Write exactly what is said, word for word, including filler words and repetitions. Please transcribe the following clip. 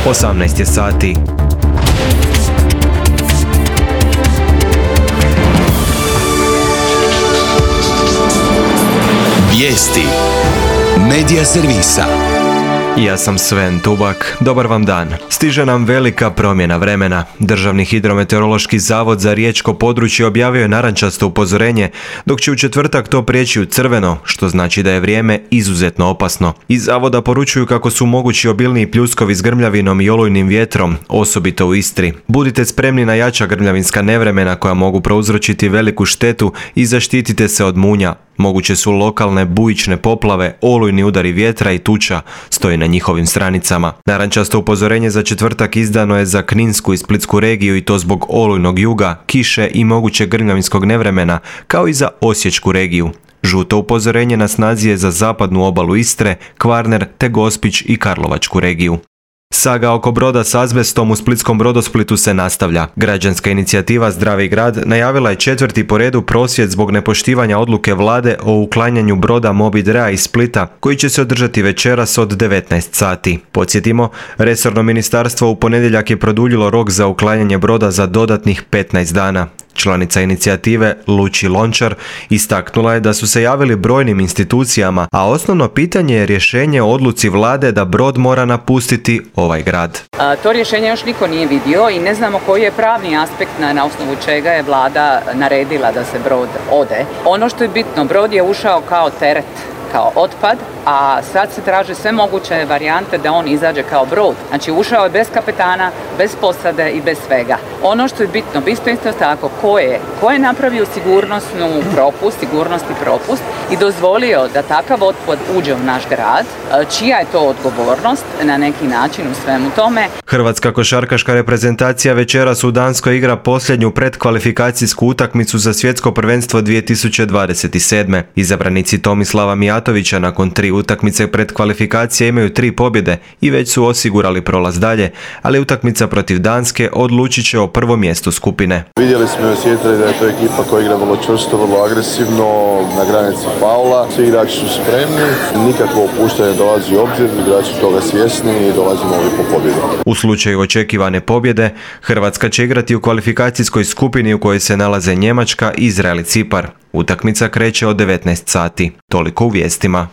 osamnaest je sati. Vijesti Medija servisa. Ja sam Sven Tubak, dobar vam dan. Stiže nam velika promjena vremena. Državni hidrometeorološki zavod za riječko područje objavio je narančasto upozorenje, dok će u četvrtak to prijeći u crveno, što znači da je vrijeme izuzetno opasno. Iz zavoda poručuju kako su mogući obilniji pljuskovi s grmljavinom i olujnim vjetrom, osobito u Istri. Budite spremni na jača grmljavinska nevremena koja mogu prouzročiti veliku štetu i zaštitite se od munja. Moguće su lokalne bujične poplave, olujni udari vjetra i tuča, stoji na njihovim stranicama. Narančasto upozorenje za četvrtak izdano je za Kninsku i Splitsku regiju i to zbog olujnog juga, kiše i mogućeg grmljavinskog nevremena, kao i za Osječku regiju. Žuto upozorenje na snazi je za zapadnu obalu Istre, Kvarner te Gospić i Karlovačku regiju. Saga oko broda s azbestom u splitskom Brodosplitu se nastavlja. Građanska inicijativa Zdravi grad najavila je četvrti po redu prosvjed zbog nepoštivanja odluke vlade o uklanjanju broda Mobidrea iz Splita, koji će se održati večeras od devetnaest sati. Podsjetimo, resorno ministarstvo u ponedjeljak je produljilo rok za uklanjanje broda za dodatnih petnaest dana. Članica inicijative Luči Lončar istaknula je da su se javili brojnim institucijama, a osnovno pitanje je rješenje o odluci vlade da brod mora napustiti ovaj grad. A, to rješenje još niko nije vidio i ne znamo koji je pravni aspekt na, na osnovu čega je vlada naredila da se brod ode. Ono što je bitno, brod je ušao kao teret, kao otpad, a sad se traže sve moguće varijante da on izađe kao brod. Znači ušao je bez kapetana, bez posade i bez svega. Ono što je bitno, bitno isto tako, ko je, ko je napravio sigurnosnu propust, sigurnosni propust i dozvolio da takav otpad uđe u naš grad, čija je to odgovornost na neki način u svemu tome. Hrvatska košarkaška reprezentacija večeras u Danskoj igra posljednju predkvalifikacijsku utakmicu za svjetsko prvenstvo dvije tisuće dvadeset sedme. Izabranici Tomislava Mijatovića nakon tri utakmice predkvalifikacije imaju tri pobjede i već su osigurali prolaz dalje, ali utakmica protiv Danske odlučit će o prvom mjestu skupine. Vidjeli smo i osjetili da je to ekipa koja igra vrlo čvrsto, vrlo agresivno, na granici faula. Svi igrači su spremni, nikakvo opuštanje dolazi u obzir, igrači su toga svjesni i dolazimo ovdje po pobjedu. U slučaju očekivane pobjede, Hrvatska će igrati u kvalifikacijskoj skupini u kojoj se nalaze Njemačka, Izrael i Cipar. Utakmica kreće od devetnaest sati. Toliko u vijestima.